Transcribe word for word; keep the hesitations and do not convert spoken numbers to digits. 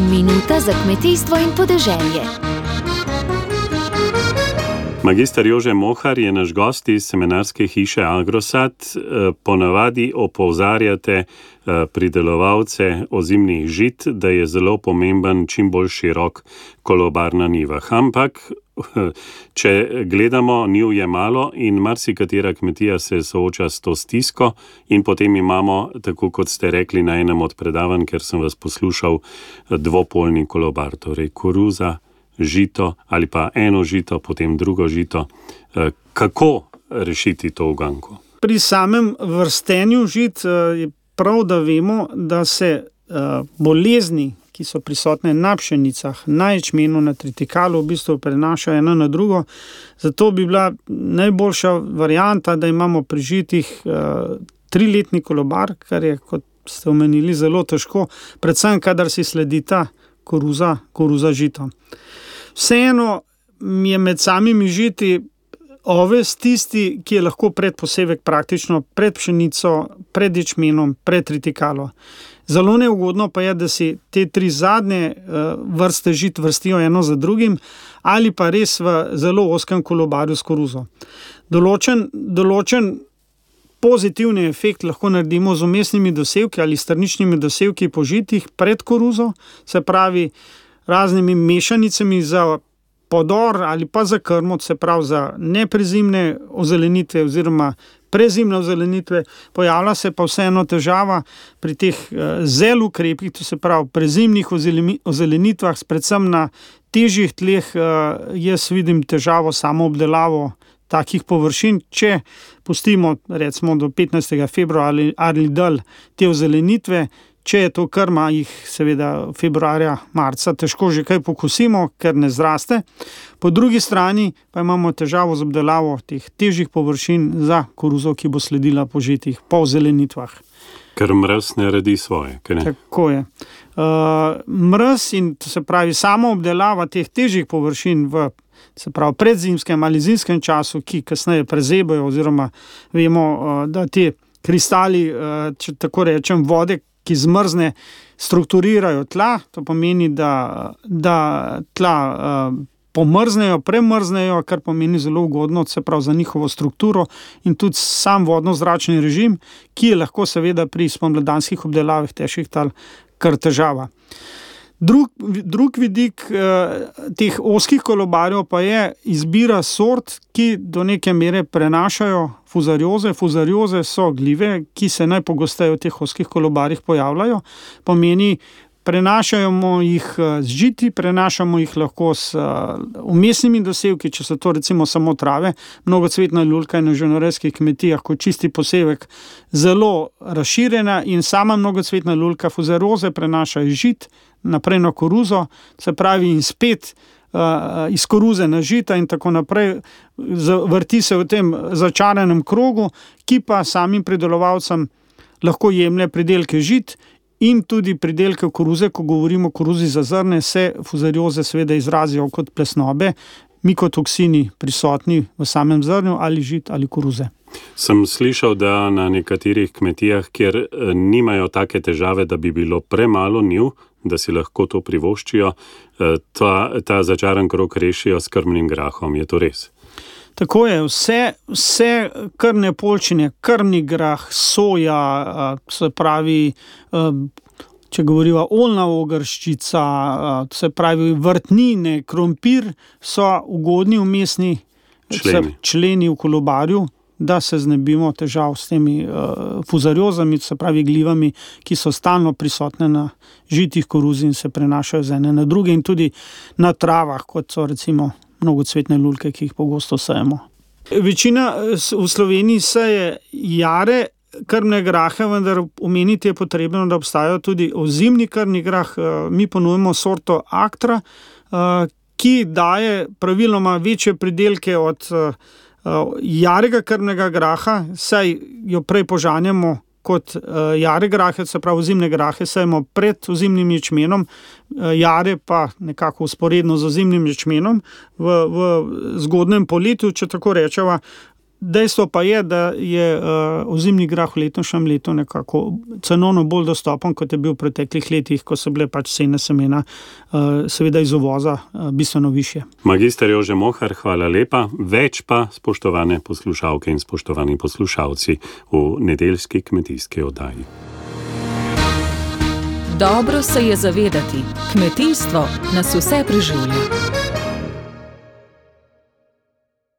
Minuta za kmetijstvo in podeželje. Magister Jože Mohar je naš gost iz semenarske hiše Agrosad. Ponavadi opozarjate pridelovalce ozimnih žit, da je zelo pomemben čim bolj širok kolobar na njivah. Ampak, če gledamo, njiv je malo in marsikatera kmetija se sooča s to stisko in potem imamo, tako kot ste rekli na enem od predavanj, ker sem vas poslušal, dvopolni kolobar, torej koruza, žito ali pa eno žito, potem drugo žito. Kako rešiti to uganko? Pri samem vrstenju žit je prav, da vemo, da se bolezni, ki so prisotne na pšenicah, na ječmenu, na tritikalu, v bistvu prenašajo eno na drugo. Zato bi bila najboljša varianta, da imamo pri žitih triletni kolobar, kar je, kot ste omenili, zelo težko, predvsem kadar si sledita koruza, koruza žito. Vseeno je med samimi žiti oves tisti, ki je lahko predposevek praktično pred pšenico, pred ječmenom, pred tritikalo. Zelo neugodno pa je, da si te tri zadnje vrste žit vrstijo eno za drugim ali pa res v zelo ozkem kolobarju s koruzo. Določen, določen pozitivni efekt lahko naredimo z vmesnimi dosevki ali strničnimi dosevki po žitih pred koruzo, se pravi raznimi mešanicami za podor ali pa za krmo, se pravi za neprezimne ozelenitve oziroma prezimne ozelenitve. Pojavlja se pa vseeno težava pri teh zel ukrepih, to se pravi prezimnih ozelenitvah, predvsem na težjih tleh. Jaz vidim težavo samo obdelavo takih površin, če pustimo recimo do petnajstega februarja ali, ali dalj te ozelenitve. Če je to krma, jih seveda februarja, marca težko že kaj pokosimo, ker ne zraste. Po drugi strani pa imamo težavo z obdelavo teh težjih površin za koruzo, ki bo sledila po žitih, po zelenitvah. Ker mraz ne redi svoje, kaj ne? Tako je. Uh, mraz in to se pravi samo obdelava teh težjih površin v se pravi predzimskem ali zimskem času, ki kasneje prezebajo oziroma vemo, uh, da te kristali, uh, če tako rečem, vode, ki zmrzne, strukturirajo tla, to pomeni, da, da tla uh, pomrznejo, premrznejo, kar pomeni zelo ugodno, se pravi za njihovo strukturo in tudi sam vodno-zračni režim, ki je lahko seveda pri spomladanskih obdelavah težkih tal kar težava. Drug, drug vidik eh, teh ozkih kolobarjev pa je izbira sort, ki do neke mere prenašajo fuzarioze. Fuzarioze so gljive, ki se najpogosteje v teh ozkih kolobarjih pojavljajo. Pomeni, prenašamo jih z žiti, prenašamo jih lahko s vmesnimi dosevki, če so to recimo samo trave. Mnogocvetna ljulka je na živinorejskih kmetijah kot čisti posevek zelo razširjena in sama mnogocvetna ljulka fuzarioze prenaša iz žit naprej na koruzo, se pravi in spet uh, iz koruze na žita in tako naprej. Vrti se v tem začaranem krogu, ki pa samim pridelovalcem lahko jemlje pridelke žit in tudi pridelke koruze. Ko govorimo o koruzi za zrne, se fuzarioze seveda izrazijo kot plesnobe, mikotoksini prisotni v samem zrnju ali žit ali koruze. Sem slišal, da na nekaterih kmetijah, kjer nimajo take težave, da bi bilo premalo njiv, da si lahko to privoščijo, ta, ta začaran krog rešijo s krmnim grahom. Je to res? Tako je. Vse, vse krmne poljčine, krmni grah, soja, se pravi, če govoriva oljna ogrščica, se pravi vrtnine, krompir, so ugodni vmesni členi. členi v kolobarju, da se znebimo težav s temi uh, fuzariozami, se pravi glivami, ki so stalno prisotne na žitih koruzi in se prenašajo z ene na druge in tudi na travah, kot so recimo mnogocvetne lulke, ki jih pogosto sejemo. Večina v Sloveniji seje jare krmne grahe, vendar omeniti je potrebno, da obstajajo tudi ozimni krmni grah. Mi ponujemo sorto Aktra, uh, ki daje praviloma večje pridelke od uh, jarega krmnega graha, saj jo prej požanjamo kot uh, jare grahe, se pravi ozimne grahe sejemo pred ozimnim ječmenom, uh, jare pa nekako usporedno z ozimnim ječmenom v, v zgodnem poletju, če tako rečeva. Dejstvo pa je, da je uh, ozimni grah v letošnjem letu nekako cenovno bolj dostopen, kot je bil v preteklih letih, ko so bile pač cene semena uh, seveda iz uvoza uh, bistveno višje. Magister Jože Mohar, hvala lepa. Več pa, spoštovane poslušalke in spoštovani poslušalci, v nedeljski kmetijski oddaji. Dobro se je zavedati, kmetijstvo nas vse preživlja.